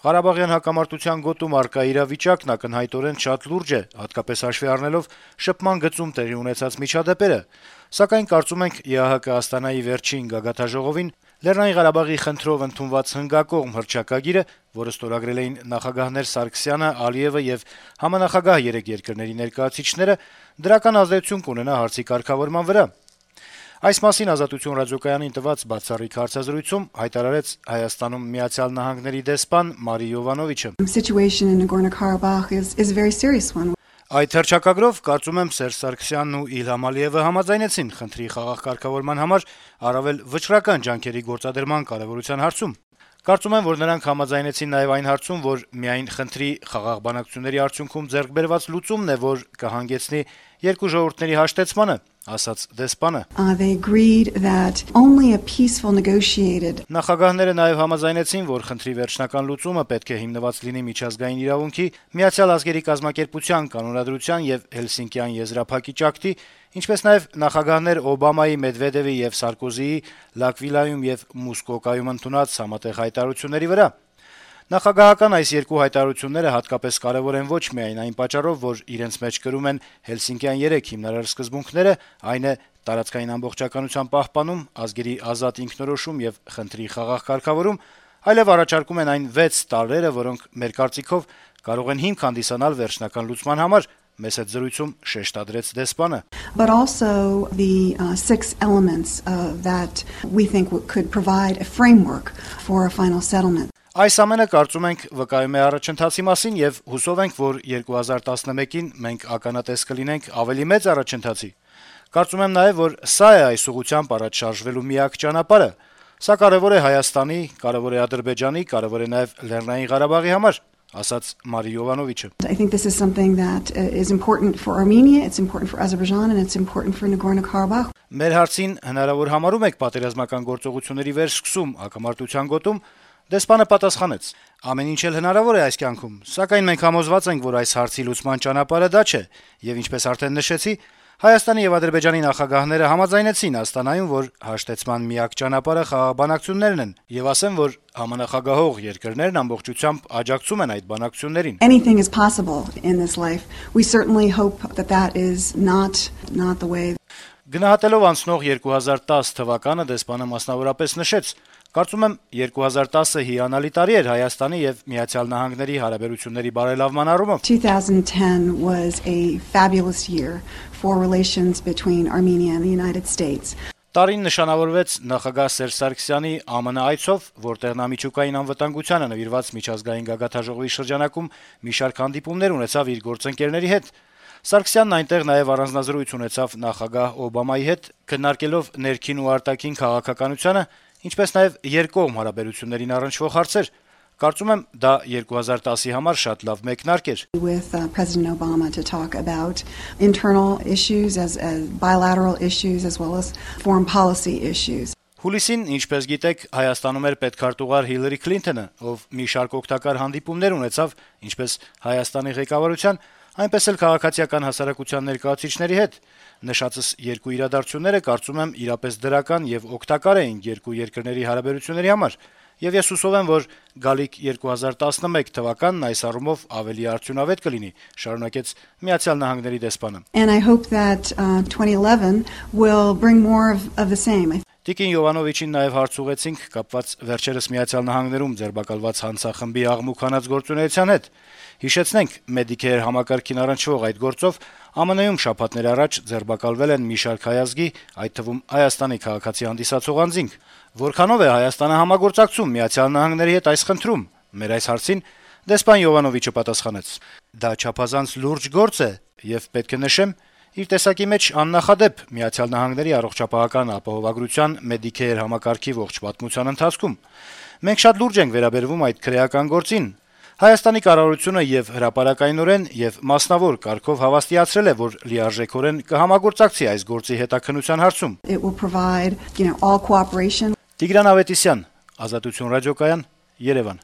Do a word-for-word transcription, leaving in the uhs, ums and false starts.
Ղարաբաղյան հակամարտության գոտում առկա իրավիճակն ակնհայտորեն շատ լուրջ է, հատկապես հաշվի առնելով շփման գծում տեղի ունեցած միջադեպերը, սակայն կարծում ենք ԵԱՀԿ Աստանայի վերջին գագաթնաժողովին Լեռնային Ղարաբաղի խնդրով ընդունված հնգակողմ հռչակագիրը, որը ստորագրել էին նախագահներ Սարգսյանը, Ալիևը եւ համանախագահ երեք երկրների ներկայացուցիչները, դրական ազդեցություն կունենա հարցի կարգավորման վրա։ Այս մասին «Ազատություն» ռադիոկայանին տված բացառիկ հարցազրույցում հայտարարեց Հայաստանում Միացյալ Նահանգների դեսպան Մարի Յովանովիչը. Այդ հռչակագրով, կարծում եմ, Սերժ Սարգսյանն ու Իլհամ Ալիևը համաձայնեցին խնդրի խաղաղ կարգավորման համար առավել վճռական ջանքերի գործադրման կարեւորության հարցում։ Կարծում եմ, որ նրանք համաձայնեցին նաեւ այն հարցում, որ միայն խնդրի խաղաղ բանակցությունների արդյունքում ձեռք բերված լուծումն է, որ կհանգեցնի երկու ժողովուրդների հաշտեցմանը, ասաց դեսպանը։ Նախագահները նաեւ համաձայնեցին, որ խնդրի վերջնական լուծումը պետք է հիմնված լինի միջազգային իրավունքի, Միացյալ ազգերի կազմակերպության կանոնադրության եւ Հելսինկյան եզրափակիչ ակտի, ինչպես նաեւ նախագահներ Օբամայի, Մեդվեդևի եւ Սարկոզիի Լակվիլայում եւ Մուսկոկայում ընդունած համատեղ հայտարարությունների վրա։ Նախագահական այս երկու հայտարարությունները հատկապես կարեւոր են ոչ միայն այն պատճառով, որ իրենց մեջ կրում են Հելսինկյան երեք հիմնարար սկզբունքները, այն է տարածքային ամբողջականության պահպանում, ազգերի ազատ ինքնորոշում եւ խնդրի խաղաղ կարգավորում, այլև առաջարկում են այն վեց տարրերը, որոնք մեր կարծիքով կարող են հիմք հանդիսանալ վերջնական լուծման համար, մեծ այդ զրույցում շեշտադրեց դեսպանը։ But also the uh, six elements uh, that we think could provide a framework for a final settlement. Այս ամենը կարծում ենք վկայում է առաջընթացի մասին եւ հուսով ենք, որ երկու հազար տասնմեկին մենք ականատես կլինենք ավելի մեծ առաջընթացի։ Կարծում եմ նաեւ, որ սա է այս ուղղությամբ առաջ շարժվելու միակ ճանապարհը։ Սա կարեւոր է Հայաստանի, կարեւոր է Ադրբեջանի, կարեւոր է նաեւ Լեռնային Ղարաբաղի համար, ասաց Մարի Յովանովիչը։ I think this is something that is important for Armenia, it's important for Azerbaijan and it's important for Nagorno-Karabakh. Մեր հարցին հնարավոր համարում եք պատերազմական գործողությունների վերսկսում հակամարտության գոտում, դեսպանը պատասխանեց. Ամեն ինչ էլ հնարավոր է այս կյանքում, սակայն մենք համոզված ենք, որ այս հարցի լուծման ճանապարհը դա չէ, եւ ինչպես արդեն նշեցի, Հայաստանի եւ Ադրբեջանի նախագահները համաձայնեցին Աստանայում, որ հաշտեցման միակ ճանապարհը խաղաղ բանակցություններն են, եւ ասեմ, որ համանախագահող երկրներն ամբողջությամբ աջակցում են այդ բանակցություններին։ Anything is possible in this life. We certainly hope that that is not not the way. Գնահատելով անցնող երկու հազար տասը թվականը դեսպանը մասնավորապես նշեց. Կարծում եմ երկու հազար տասը հիանալի տարի էր Հայաստանի եւ Միացյալ Նահանգների հարաբերությունների բարելավման առումով։ twenty ten was a fabulous year for relations between Armenia and the United States. Տարին նշանավորվեց նախագահ Սերժ Սարգսյանի ԱՄՆ այցով, որտեղ նա միջուկային անվտանգությանը նվիրված միջազգային գագաթնաժողովի շրջանակում մի շարք հանդիպումներ ունեցավ իր գործընկերների հետ։ Սարգսյանն այնտեղ նաև առանձնազրույց ունեցավ նախագահ Օբամայի հետ, քննարկելով ներքին ու արտաքին քաղաքականությունը, ինչպես նաև երկկողմ հարաբերություններին առնչվող հարցեր։ Կարծում եմ, դա երկու հազար տասի համար շատ լավ մեկնարկ էր։ With uh, President Obama to talk about internal issues as, as bilateral issues as well as foreign policy issues. Հուլիսին, ինչպես գիտեք, Հայաստանում էր պետքարտուղար Հիլարի Քլինթոնը, ով մի շարք օգտակար հանդիպումներ ունեցավ, ինչպես Հայաստանի ղեկավարության, այնպես էլ քաղաքացիական հասարակության ներկայացուցիչների հետ։ Նշածս երկու իրադարձությունները կարծում եմ իրապես դրական եւ օգտակար էին երկու երկրների հարաբերությունների համար, եւ ես հուսով եմ, որ գալիք երկու հազար տասնմեկ թվականն այս առումով ավելի արդյունավետ կլինի, շարունակեց Միացյալ Նահանգների դեսպանը։ And I hope that uh, twenty eleven will bring more of, of the same. Տիկին Յովանովիչին նաև հարց ուղեցինք կապված վերջերս Միացյալ Նահանգներում ձերբակալված հանցախմբի աղմուկ-հանած գործունեության հետ։ Հիշեցնենք, Medicare համակարգին առնչվող այդ գործով ԱՄՆ-ում շաբաթներ առաջ ձերբակալվել են մի շարք հայազգի, այդ թվում Հայաստանի քաղաքացի հանդիսացող անձինք։ Որքանով է Հայաստանը համագործակցում Միացյալ Նահանգների հետ այս խնդրում։ Մեր այս հարցին դեսպան Յովանովիչը պատասխանեց. Դա չափազանց լուրջ գործ է եւ պետք է նշեմ, իր տեսակի մեջ աննախադեպ Միացյալ Նահանգների առողջապահական ապահովագրության Medicare համակարգի ողջ պատմության ընթացքում։ Մենք շատ լուրջ ենք վերաբերվում այդ քրեական գործին։ Հայաստանի կառավարությունը եւ հրապարակայնորեն եւ մասնավոր կարգով հավաստիացրել է, որ լիարժեքորեն կհամագործակցի այս գործի հետաքննության հարցում։ It will provide, you know, all cooperation. Տիգրան Ավետիսյան, Ազատություն ռադիոկայան, Երևան։